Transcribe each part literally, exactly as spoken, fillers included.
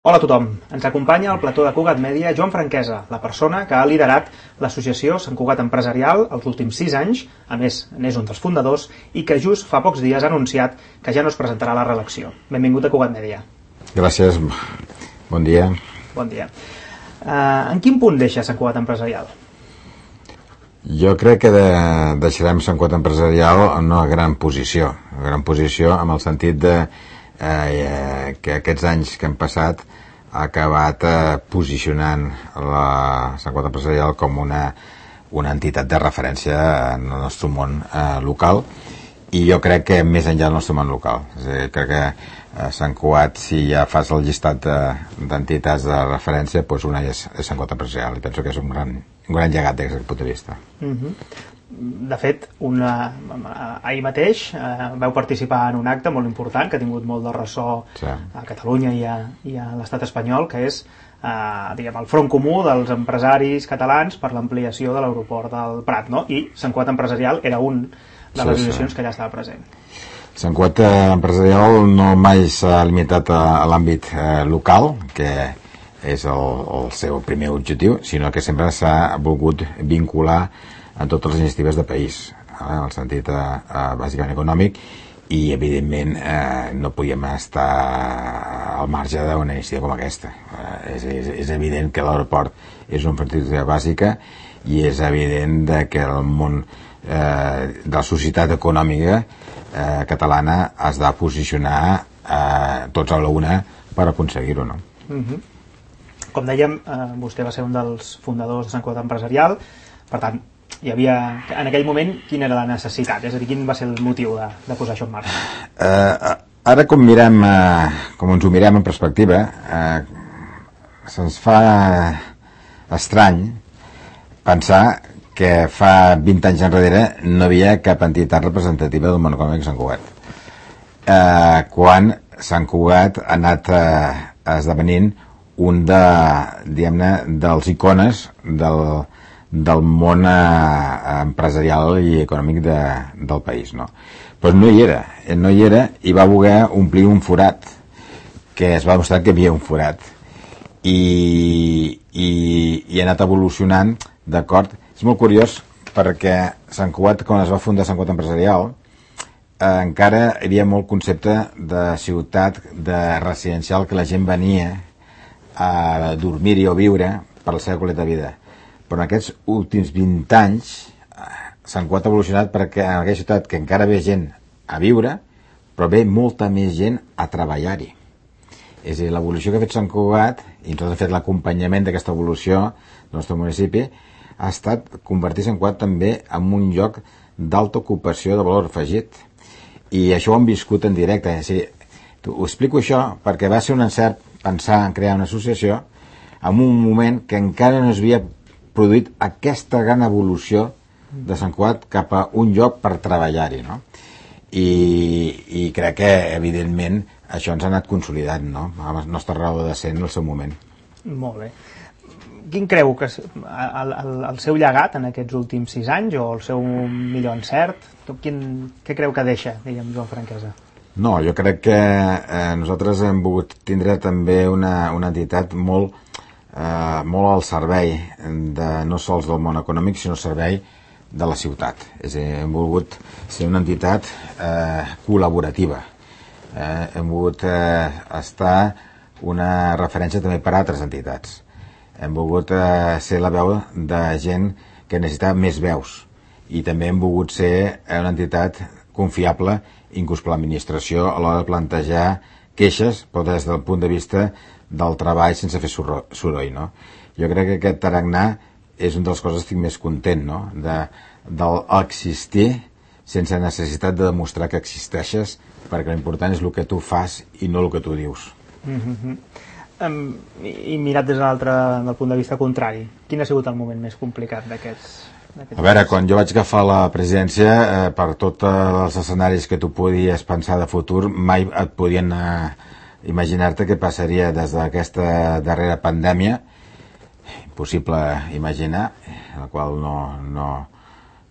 Hola a tothom, ens acompanya al plató de Cugat Mèdia Joan Franquesa, la persona que ha liderat l'associació Sant Cugat Empresarial els últims sis anys, a més n'és un dels fundadors, i que just fa pocs dies ha anunciat que ja no es presentarà a la reelecció. Benvingut a Cugat Mèdia. Gràcies, bon dia. Bon dia. Uh, en quin punt deixa Sant Cugat Empresarial? Jo crec que de, deixarem Sant Cugat Empresarial en una gran posició, una gran posició amb el sentit de eh, que aquests anys que han passat ha acabat eh, posicionant la Sant Cugat Empresarial com una, una entitat de referència en el nostre món eh, local, i jo crec que més enllà del nostre món local. És a dir, crec que eh, Sant Cugat, si ja fas el llistat d'entitats de, de referència, doncs una és, és Sant Cugat Empresarial, i penso que és un gran, un gran llegat des d'aquest punt de vista. Uh-huh. De fet, una, ahir mateix eh, vau participar en un acte molt important que ha tingut molt de ressò sí. a Catalunya i a, i a l'estat espanyol, que és eh, diguem, el front comú dels empresaris catalans per l'ampliació de l'aeroport del Prat, no? I Sant Cugat Empresarial era un de les sí, associacions sí. que ja estava present. Sant Cugat Empresarial no mai s'ha limitat a, a l'àmbit eh, local, que és el, el seu primer objectiu, sinó que sempre s'ha volgut vincular en totes les iniciatives de país, eh, en el sentit eh, eh, bàsicament econòmic, i evidentment eh, no podíem estar al marge d'una iniciativa com aquesta. Eh, és, és, és evident que l'aeroport és una infraestructura bàsica, i és evident de que el món eh, de la societat econòmica eh, catalana has de posicionar eh, tots a la una per aconseguir-ho, no? Uh-huh. Com dèiem, eh, vostè va ser un dels fundadors de Sant Cugat Empresarial, per tant, hi havia, en aquell moment, quina era la necessitat? És a dir, quin va ser el motiu de, de posar això en marxa? Uh, ara, com mirem, uh, com ens ho mirem en perspectiva, uh, se'ns fa estrany pensar que fa vint anys enrere no hi havia cap entitat representativa del món econòmic a Sant Cugat. Uh, quan Sant Cugat ha anat uh, esdevenint un de, diguem-ne, dels icones del del món eh, empresarial i econòmic de, del país, no? Però no hi era, no hi era, i va voler omplir un forat, que es va mostrar que hi havia un forat, i, i, i ha anat evolucionant, d'acord? És molt curiós, perquè Sant Cugat, quan es va fundar Sant Cugat Empresarial, eh, encara hi havia molt concepte de ciutat, de residencial, que la gent venia a dormir-hi o viure per la seva qualitat de vida. Però en aquests últims vint anys Sant Cugat ha evolucionat perquè en aquella ciutat que encara ve gent a viure, però ve molta més gent a treballar-hi. És a dir, l'evolució que ha fet Sant Cugat, i nosaltres hem fet l'acompanyament d'aquesta evolució del nostre municipi, ha estat convertir Sant Cugat també en un lloc d'alta ocupació de valor afegit. I això ho hem viscut en directe. És a dir, ho explico això perquè va ser un encert pensar en crear una associació en un moment que encara no es havia produït aquesta gran evolució de Sant Cugat cap a un lloc per treballar-hi, no? I, i crec que, evidentment, això ens ha anat consolidant, no? A la nostra raó de ser en el seu moment. Molt bé. Quin creu que és el, el, el seu llegat en aquests últims sis anys, o el seu millor encert? Quin, què creu que deixa, diguem, Joan Franquesa? No, jo crec que eh, nosaltres hem volgut tindre també una, una entitat molt Uh, molt al servei de, no sols del món econòmic, sinó al servei de la ciutat. És a dir, hem volgut ser una entitat uh, col·laborativa. Uh, hem volgut uh, estar una referència també per a altres entitats. Hem volgut uh, ser la veu de gent que necessita més veus, i també hem volgut ser una entitat confiable, inclús per l'administració, a l'hora de plantejar queixes, però des del punt de vista del treball sense fer soroll, no? Jo crec que aquest tarannà és una de les coses que estic més content, no? De, d'existir sense necessitat de demostrar que existeixes, perquè l'important és el que tu fas i no el que tu dius. Mm-hmm. um, i, I mirat des de l'altre, del punt de vista contrari, quin ha sigut el moment més complicat d'aquests? A veure, quan jo vaig agafar la presidència, eh, per tots els escenaris que tu podies pensar de futur, mai et podien eh, imaginar-te què passaria des d'aquesta darrera pandèmia, impossible imaginar, la qual no, no,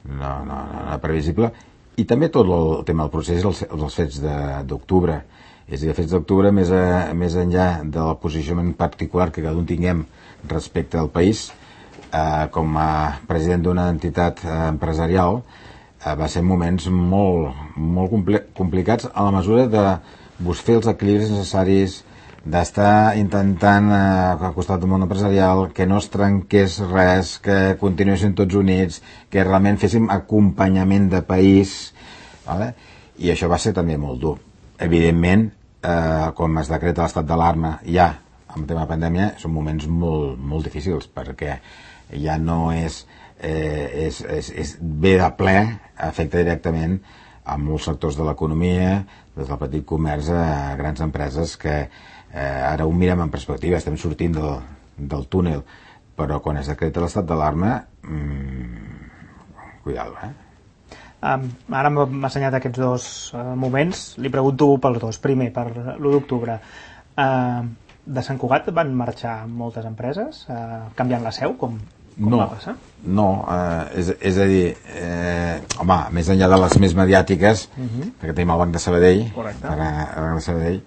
no, no, no era previsible, i també tot el tema del procés, els, els fets d'octubre. És a dir, a fets d'octubre, més, a, més enllà del posicionament particular que cada un tinguem respecte al país, eh, com a president d'una entitat eh, empresarial, eh, va ser moments molt, molt compli complicats a la mesura de buscar els equilibris necessaris, d'estar intentant eh, al costat del món empresarial, que no es trenqués res, que continuessin tots units, que realment féssim acompanyament de país, vale? I això va ser també molt dur. Evidentment, eh, com es decreta l'estat d'alarma ja amb el tema de pandèmia, són moments molt, molt difícils, perquè ja no és, eh, és, és, és ve de ple, afecta directament a molts sectors de l'economia, des del petit comerç a grans empreses que eh, ara ho mirem en perspectiva, estem sortint del, del túnel, però quan es decreta l'estat d'alarma, mmm, cuidado, eh? Um, ara m'ha assenyat aquests dos uh, moments, li pregunto pels dos. Primer, per l'u d'octubre, uh, de Sant Cugat van marxar moltes empreses uh, canviant la seu, com, com no, va passar? No, eh, és, és a dir, eh, home, més enllà de les més mediàtiques, uh -huh. perquè tenim el Banc de Sabadell, correcte, el Banc de Sabadell,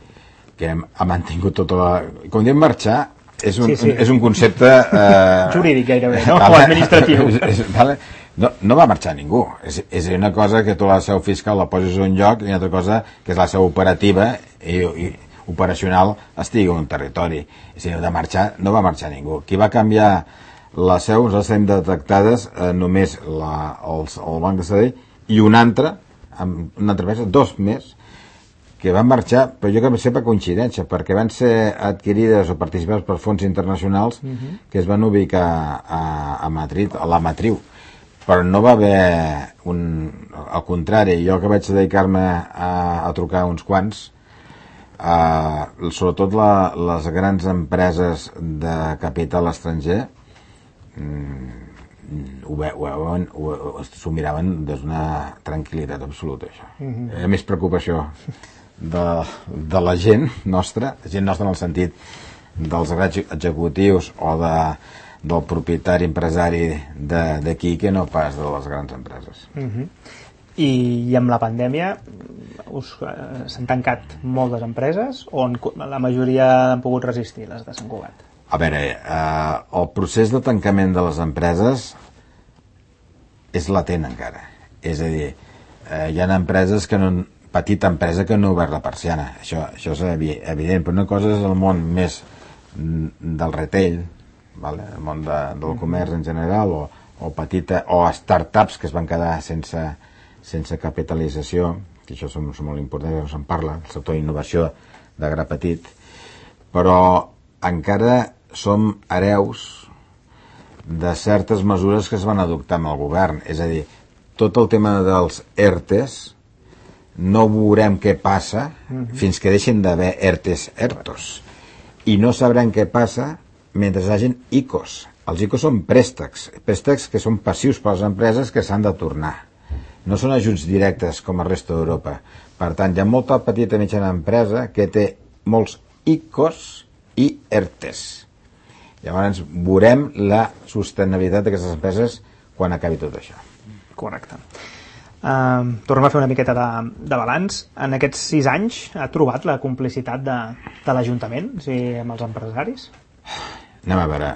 que hem, ha mantingut tota la... Com diem marxar, és un, sí, sí. Un, és un concepte... Eh, jurídic gairebé, no? O administratiu. Vale? No, no va marxar ningú. És, és una cosa que tu la seu fiscal la poses a un lloc i una altra cosa que és la seu operativa i, i operacional estigui en un territori. És a dir, de marxar, no va marxar ningú. Qui va canviar la seu, nosaltres tenim detectades eh, només la, els, el Banc de Sabadell i un altre, amb una altra empresa, dos més, que van marxar, però jo crec que va ser per coincidència, perquè van ser adquirides o participades per fons internacionals uh-huh. que es van ubicar a, a Madrid, a la matriu. Però no va haver un... al contrari, jo que vaig dedicar-me a, a trucar uns quants, a, sobretot la, les grans empreses de capital estranger, mm, ho veuen, s'ho miraven des d'una tranquil·litat absoluta, això. Mm-hmm. Hi ha més preocupació de, de la gent nostra, gent nostra en el sentit dels executius o de del propietari empresari d'aquí que no pas de les grans empreses. Uh-huh. I, I amb la pandèmia us eh, s'han tancat moltes empreses o en, la majoria han pogut resistir, les de Sant Cugat? A veure, eh, el procés de tancament de les empreses és latent encara. És a dir, eh, hi ha empreses que no, petita empresa que no ha obert la persiana, això, això és evident, però una cosa és el món més del retail, vale? El món de, del comerç en general o, o petita o startups que es van quedar sense, sense capitalització, que això són, són molt importants, no se'n parla, el sector d'innovació de gra petit, però encara som hereus de certes mesures que es van adoptar amb el govern, és a dir, tot el tema dels ERTEs no veurem què passa uh-huh. fins que deixin d'haver ERTEs ERTOs i no sabrem què passa mentre hi hagin I C Os. Els I C Os són préstecs, préstecs que són passius per les empreses que s'han de tornar. No són ajuts directes com a resta d'Europa. Per tant, hi ha molta petita i mitjana empresa que té molts I C Os i ERTEs. Llavors, veurem la sostenibilitat d'aquestes empreses quan acabi tot això. Correcte. Uh, tornem a fer una miqueta de, de balanç. En aquests sis anys ha trobat la complicitat de, de l'Ajuntament, o sigui, amb els empresaris? Anem a veure,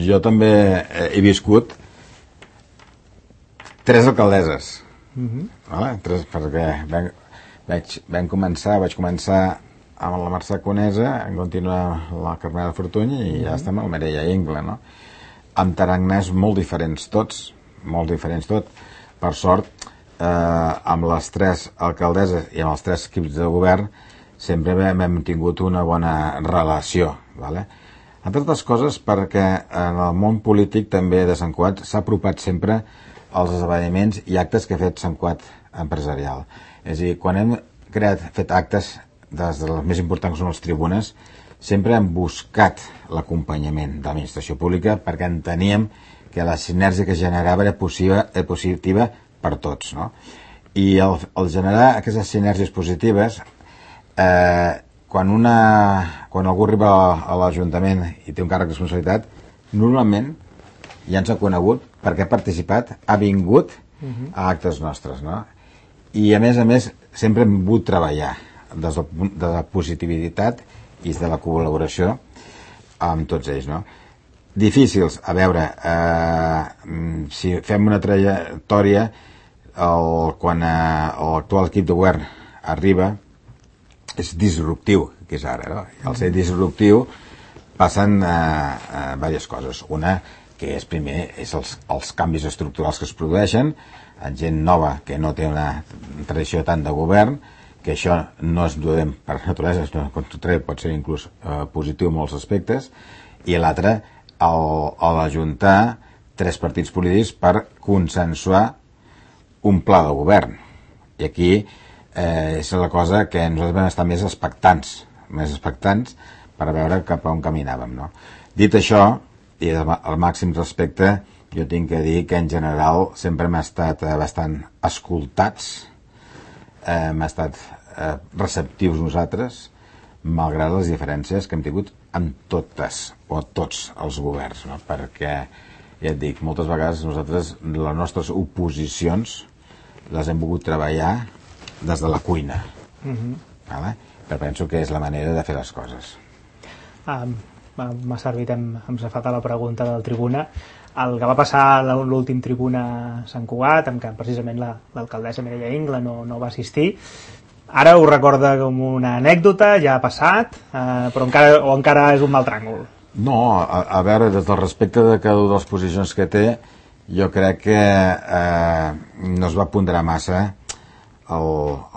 jo també he viscut tres alcaldeses, uh-huh. vale? tres, perquè vam, vaig, vam començar, vaig començar amb la Mercè Conesa, en continuar la Carmela Fortuny i uh-huh. ja estem al Mireia Ingla, no? Amb taranners molt diferents tots, molt diferents tot. Per sort, eh, amb les tres alcaldeses i amb els tres equips de govern sempre hem, hem tingut una bona relació, vale? Entre altres coses perquè en el món polític també de Sant Cugat s'ha apropat sempre als esdeveniments i actes que ha fet Sant Cugat empresarial. És a dir, quan hem creat, fet actes des de les més importants que són les tribunes, sempre hem buscat l'acompanyament de l'administració pública perquè enteníem que la sinergia que generava era positiva, era positiva per tots, no? I el, el generar aquestes sinergies positives eh, quan, una, quan algú arriba a l'Ajuntament i té un càrrec de responsabilitat, normalment ja ens ha conegut perquè ha participat, ha vingut a actes nostres, no? I a més a més sempre hem volgut treballar des de la positivitat i de la col·laboració amb tots ells, no? Difícils, a veure, eh, si fem una trajectòria, el, quan eh, l'actual equip de govern arriba, és disruptiu, que és ara, no? Al ser disruptiu passen eh, eh, diverses coses. Una, que és primer, és els, els canvis estructurals que es produeixen, en gent nova que no té una tradició tant de govern, que això no es duem per naturalesa, sinó al contrari, pot ser inclús eh, positiu en molts aspectes, i l'altre, l'ajuntar tres partits polítics per consensuar un pla de govern. I aquí eh, és la cosa que nosaltres vam estar més expectants, més expectants per veure cap a on caminàvem, no? Dit això, i al màxim respecte, jo tinc que dir que en general sempre m'ha estat eh, bastant escoltats, eh, m'ha estat eh, receptius nosaltres, malgrat les diferències que hem tingut amb totes o tots els governs, no? Perquè, ja et dic, moltes vegades nosaltres les nostres oposicions les hem volgut treballar des de la cuina. Mm-hmm. Vale? Però penso que és la manera de fer les coses. Um, m'ha servit, hem, hem safat a la pregunta del Tribuna. El que va passar a l'últim Tribuna a Sant Cugat, en què precisament la, l'alcaldessa Mireia Ingla no, no va assistir, ara ho recorda com una anècdota, ja ha passat, eh, però encara, o encara és un mal tràngol? No, a, a veure, des del respecte de cada una de les posicions que té, jo crec que eh, no es va ponderar massa el,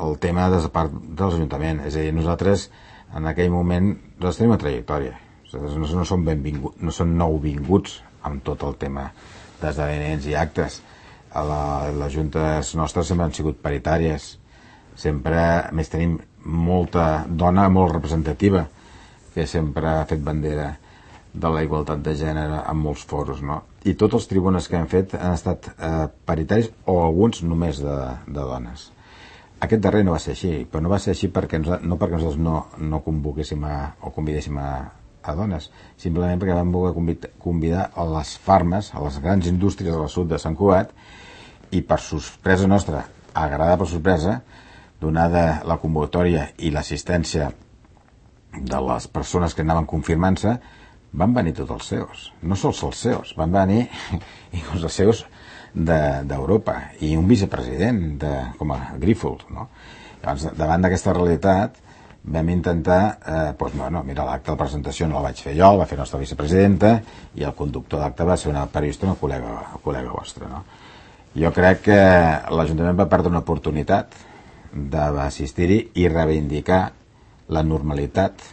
el tema des de part de l'Ajuntament. És a dir, nosaltres en aquell moment nosaltres tenim una trajectòria. Nosaltres no, no som benvinguts, no som nouvinguts amb tot el tema d'esdeveniments i actes. A la, les juntes nostres sempre han sigut paritàries. Sempre, a més, tenim molta dona molt representativa que sempre ha fet bandera de la igualtat de gènere en molts foros, no? I tots els tribunes que han fet han estat eh, paritaris o alguns només de, de dones. Aquest darrer no va ser així, però no va ser així perquè nos, no perquè nosaltres no, no convoquéssim a, o convidéssim a, a dones, simplement perquè vam voler convidar, convidar a les farmes, a les grans indústries del sud de Sant Cugat, i per sorpresa nostra, agradar per sorpresa, donada la convocatòria i l'assistència de les persones que anaven confirmant-se, van venir tots els seus, no sols els seus, van venir inclús els seus d'Europa, de, i un vicepresident de, com a Grífols, no? Llavors, davant d'aquesta realitat vam intentar, eh, doncs, bueno, mira, l'acte de presentació no el vaig fer jo, el va fer la nostra vicepresidenta, i el conductor d'acte va ser una periodista, una col·lega, una col·lega vostra, no? Jo crec que l'Ajuntament va perdre una oportunitat d'assistir-hi i reivindicar la normalitat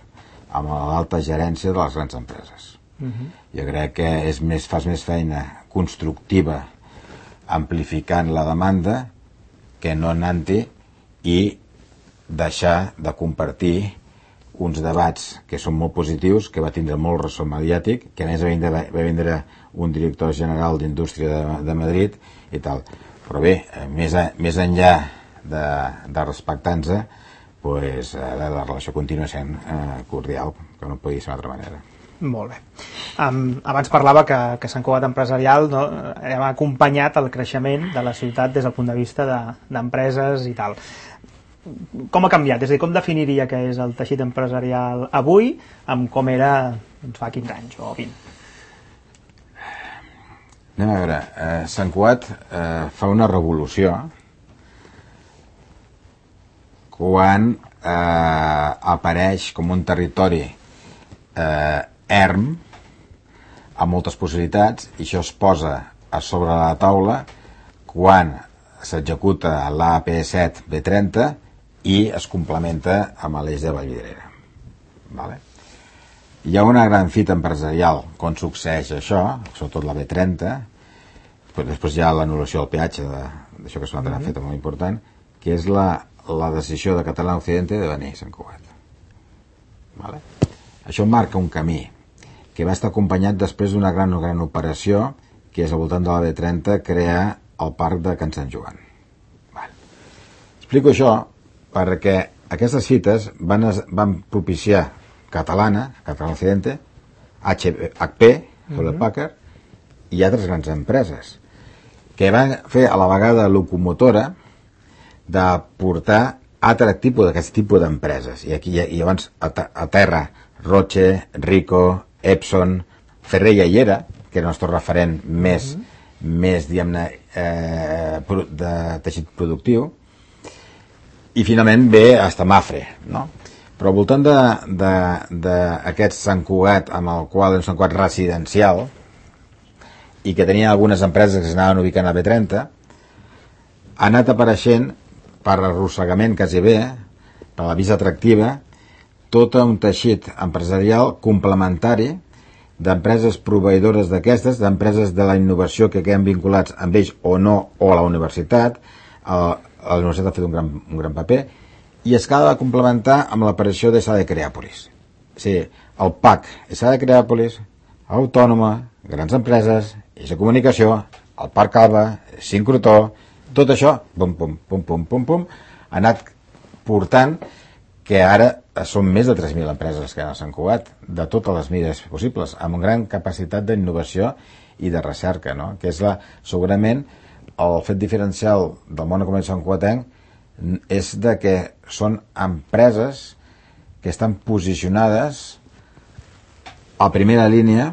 amb l'alta gerència de les grans empreses. Uh-huh. Jo crec que és més, fas més feina constructiva amplificant la demanda que no anant-hi i deixar de compartir uns debats que són molt positius, que va tindre molt ressò mediàtic, que a més va vindre, va vindre un director general d'Indústria de, de Madrid i tal. Però bé, més, a, més enllà de, de respectar-nos, pues, la, la relació continua sent eh, cordial, que no podia ser d'una altra manera. Molt bé. Um, abans parlava que, que Sant Cugat Empresarial, no, hem acompanyat el creixement de la ciutat des del punt de vista d'empreses de, i tal. Com ha canviat? És a dir, com definiria que és el teixit empresarial avui amb com era doncs, fa quinze anys o vint? Anem a veure, eh, Sant Cugat eh, fa una revolució quan eh, apareix com un territori eh, erm amb moltes possibilitats, i això es posa a sobre la taula quan s'executa l'A P set B trenta i es complementa amb l'eix de Vallvidrera. Vale? Hi ha una gran fita empresarial quan succeeix això, sobretot la B trenta, però després hi ha l'anul·lació del peatge d'això que és una altra mm-hmm. fita molt important, que és la la decisió de Català Occidente de venir a Sant Cugat. Vale? Això marca un camí que va estar acompanyat després d'una gran, gran operació que és al voltant de la B trenta crear el parc de Can Sant Joan. Vale. Explico això perquè aquestes fites van, van propiciar Catalana, Català Occidente, H P, Hewlett Packard, i altres grans empreses que van fer a la vegada locomotora de portar altre tipus d'aquest tipus d'empreses. I aquí i llavors a, a terra, Roche, Rico, Epson, Ferreira i Era, que era el nostre referent més, mm-hmm. més diguem-ne, eh, de teixit productiu, i finalment ve hasta Mafre, no? Però al voltant d'aquest Sant Cugat, amb el qual és un Sant Cugat residencial, i que tenia algunes empreses que s'anaven ubicant a B trenta, ha anat apareixent, per arrossegament quasi bé, per la vista atractiva, tot un teixit empresarial complementari d'empreses proveïdores d'aquestes, d'empreses de la innovació que queden vinculats amb ells o no, o a la universitat. A la universitat ha fet un gran, un gran paper, i es cal complementar amb l'aparició de Sada de Creàpolis. O sigui, el P A C, Sada de Creàpolis, Autònoma, grans empreses, Eix de Comunicació, el Parc Alba, Sincrotó, tot això, pum, pum, pum, pum, pum, pum, ha anat portant que ara són més de tres mil empreses que han Sant Cugat, de totes les mides possibles, amb una gran capacitat d'innovació i de recerca, no? Que és la, segurament el fet diferencial del món econòmic santcugatenc és de que són empreses que estan posicionades a primera línia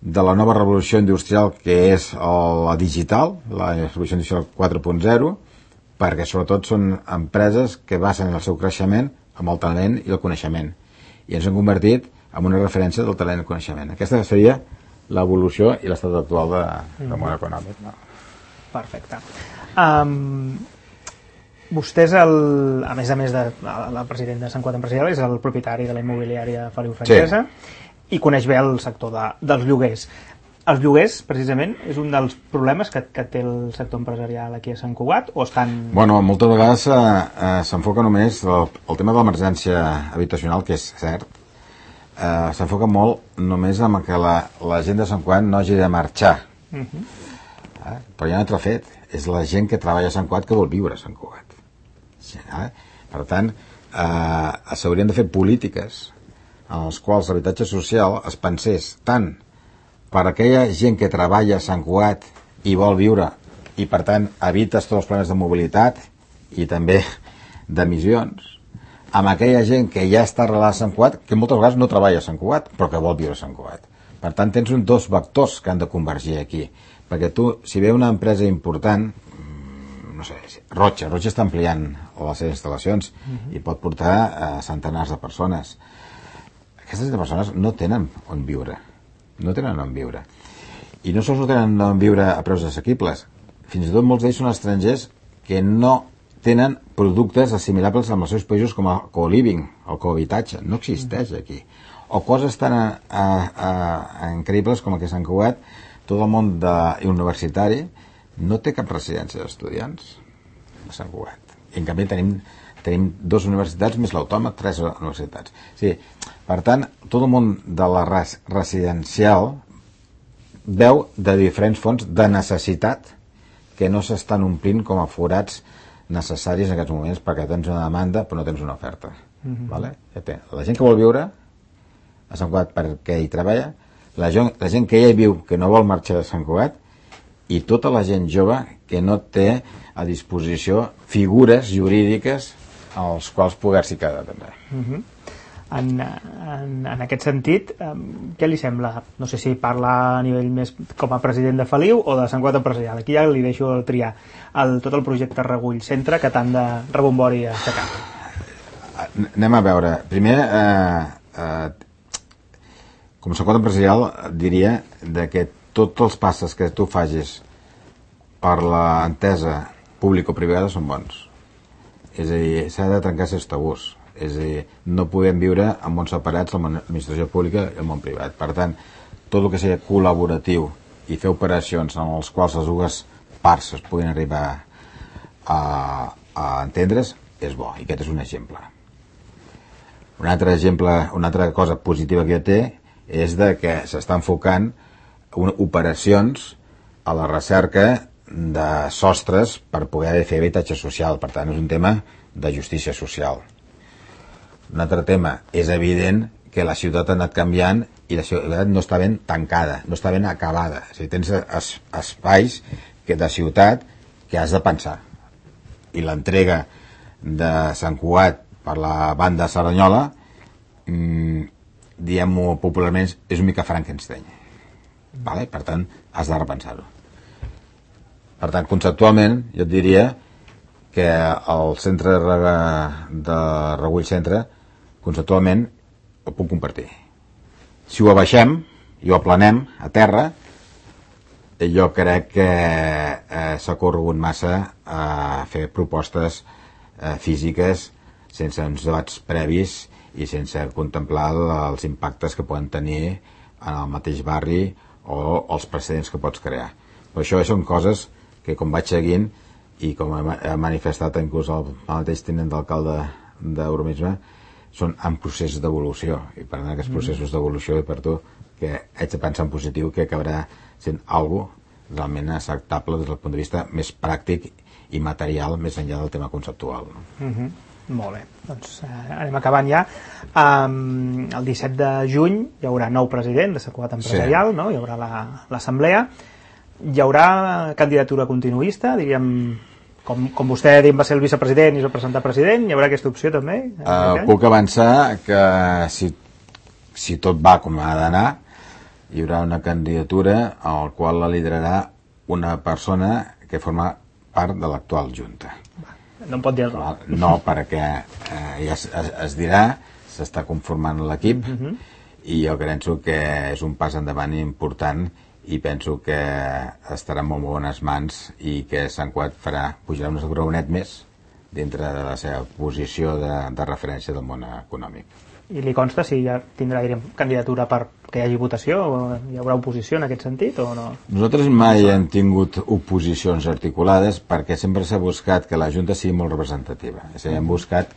de la nova revolució industrial que és la digital, la revolució industrial quatre punt zero, perquè sobretot són empreses que basen el seu creixement amb el talent i el coneixement, i ens han convertit en una referència del talent i el coneixement. Aquesta seria l'evolució i l'estat actual de, del món econòmic, no? Perfecte. Um, vostè és el, a més a més de el president de Sant Cugat Empresarial, és el propietari de la immobiliària Feliu Francesa, sí. I coneix bé el sector de, dels lloguers. Els lloguers, precisament, és un dels problemes que, que té el sector empresarial aquí a Sant Cugat, o estan... Bueno, moltes vegades eh, eh, s'enfoca només el, el tema de l'emergència habitacional, que és cert, eh, s'enfoca molt només en que la, la gent de Sant Cugat no hagi de marxar. Uh-huh. Eh? Però hi ha un altre fet, és la gent que treballa a Sant Cugat que vol viure a Sant Cugat. Eh? Per tant, eh, s'haurien de fer polítiques en les quals l'habitatge social es pensés tant per aquella gent que treballa a Sant Cugat i vol viure i per tant evites tots els problemes de mobilitat i també d'emissions, amb aquella gent que ja està arrelada a Sant Cugat, que moltes vegades no treballa a Sant Cugat però que vol viure a Sant Cugat. Per tant tens un dos vectors que han de convergir aquí, perquè tu, si ve una empresa important, no sé, Roche, Roche està ampliant les seves instal·lacions uh-huh. i pot portar a centenars de persones. Aquestes persones no tenen on viure, no tenen on viure. I no sols no tenen on viure a preus assequibles, fins i tot molts d'ells són estrangers que no tenen productes assimilables amb els seus països com el co-living, el cohabitatge, no existeix aquí. O coses tan a, a, a, increïbles com el que Sant Cugat, tot el món de, universitari no té cap residència d'estudiants a Sant Cugat. I en canvi tenim, tenim dues universitats més l'autònoma, tres universitats. Sí, per tant, tot el món de la res, residencial veu de diferents fonts de necessitat que no s'estan omplint com a forats necessaris en aquests moments perquè tens una demanda però no tens una oferta. Mm-hmm. Vale? Ja té. La gent que vol viure a Sant Cugat perquè hi treballa, la gent, la gent que ja hi viu que no vol marxar de Sant Cugat i tota la gent jove que no té a disposició figures jurídiques als quals poder-s'hi quedar també. Mm-hmm. En, en, en aquest sentit, eh, què li sembla? No sé si parla a nivell més com a president de Feliu o de Sant Cugat Empresarial. Aquí ja li deixo triar el, tot el projecte Regull Centre que tant de rebombori ha aixecat. Anem a veure. Primer, eh, eh, com a Sant Cugat Empresarial diria de que tots els passes que tu facis per l'entesa público-privada són bons. És a dir, s'ha de trencar aquests tabús. És a dir, no podem viure en mons separats l'administració pública i el món privat. Per tant, tot el que sigui col·laboratiu i fer operacions en les quals les dues parts es puguin arribar a, a entendre's és bo, i aquest és un exemple. Un altre exemple, una altra cosa positiva que té és de que s'està enfocant una, operacions a la recerca de sostres per poder fer habitatge social. Per tant, és un tema de justícia social. Un altre tema, és evident que la ciutat ha anat canviant i la ciutat no està ben tancada, no està ben acabada. És a dir, tens es, espais que de ciutat que has de pensar. I l'entrega de Sant Cugat per la banda Cerdanyola, mmm, diem-ho popularment, és una mica Frankenstein. Vale? Per tant, has de repensar-ho. Per tant, conceptualment, jo et diria que el centre de, de Regull Centre, conceptualment, ho puc compartir. Si ho abaixem i ho aplanem a terra, jo crec que eh, s'ha corregut massa a fer propostes eh, físiques sense uns debats previs i sense contemplar els impactes que poden tenir en el mateix barri o els precedents que pots crear. Per això són coses que, com vaig seguint i com he manifestat inclús el mateix tinent d'alcalde d'Urbanisme, són en procés d'evolució, i per tant aquests processos d'evolució i per tu que haig de pensar en positiu que acabarà sent algo realment acceptable des del punt de vista més pràctic i material més enllà del tema conceptual. Mm-hmm. Molt bé, doncs eh, anem acabant ja. Um, el disset de juny hi haurà nou president de Sant Cugat Empresarial, sí. No? Hi haurà l'assemblea. La, hi haurà candidatura continuista, diríem, com, com vostè va ser el vicepresident i es va presentar president, hi haurà aquesta opció també? Uh, puc avançar que si, si tot va com ha d'anar, hi haurà una candidatura al qual la liderarà una persona que forma part de l'actual Junta. No em pot dir no. No, perquè eh, ja es, es, es dirà, s'està conformant l'equip, uh-huh. I jo penso que és un pas endavant important i penso que estarà en molt bones mans i que Sant Cugat farà, pujarà un graonet més dintre de la seva posició de, de referència del món econòmic. I li consta si ja tindrà, diríem, candidatura per que hi hagi votació o hi haurà oposició en aquest sentit o no? Nosaltres mai hem tingut oposicions articulades perquè sempre s'ha buscat que la Junta sigui molt representativa. És a dir, hem buscat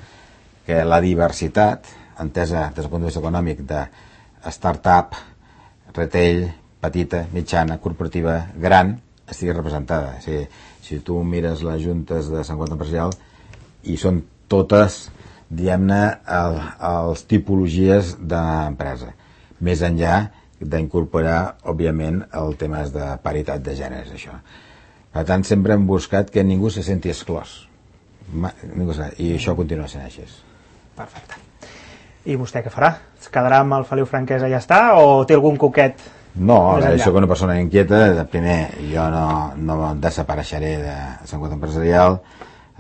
que la diversitat, entesa des del punt de vista econòmic, de start-up, retail, petita, mitjana, corporativa, gran, estigui representada. És a dir, si tu mires les juntes de Sant Cugat Empresarial i són totes, diguem-ne, el, els tipologies d'empresa, més enllà d'incorporar, òbviament, el temes de paritat de gèneres, això. Per tant, sempre hem buscat que ningú se senti exclòs. I això continua sent així. Perfecte. I vostè què farà? Es quedarà amb el Feliu Franquesa i ja està? O té algun coquet? No, jo soc una persona inquieta. De primer, jo no, no desapareixeré de Sant Cugat Empresarial.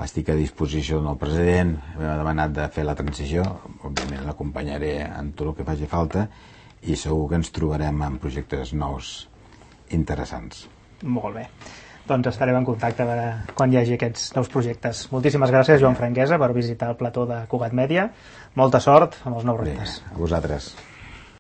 Estic a disposició del nou president, m'ha demanat de fer la transició, òbviament l'acompanyaré en tot el que faci falta i segur que ens trobarem en projectes nous interessants. Molt bé, doncs estarem en contacte quan hi hagi aquests nous projectes. Moltíssimes gràcies, Joan Franquesa, per visitar el plató de Cugat Mèdia. Molta sort amb els nous reptes. Bé, a vosaltres.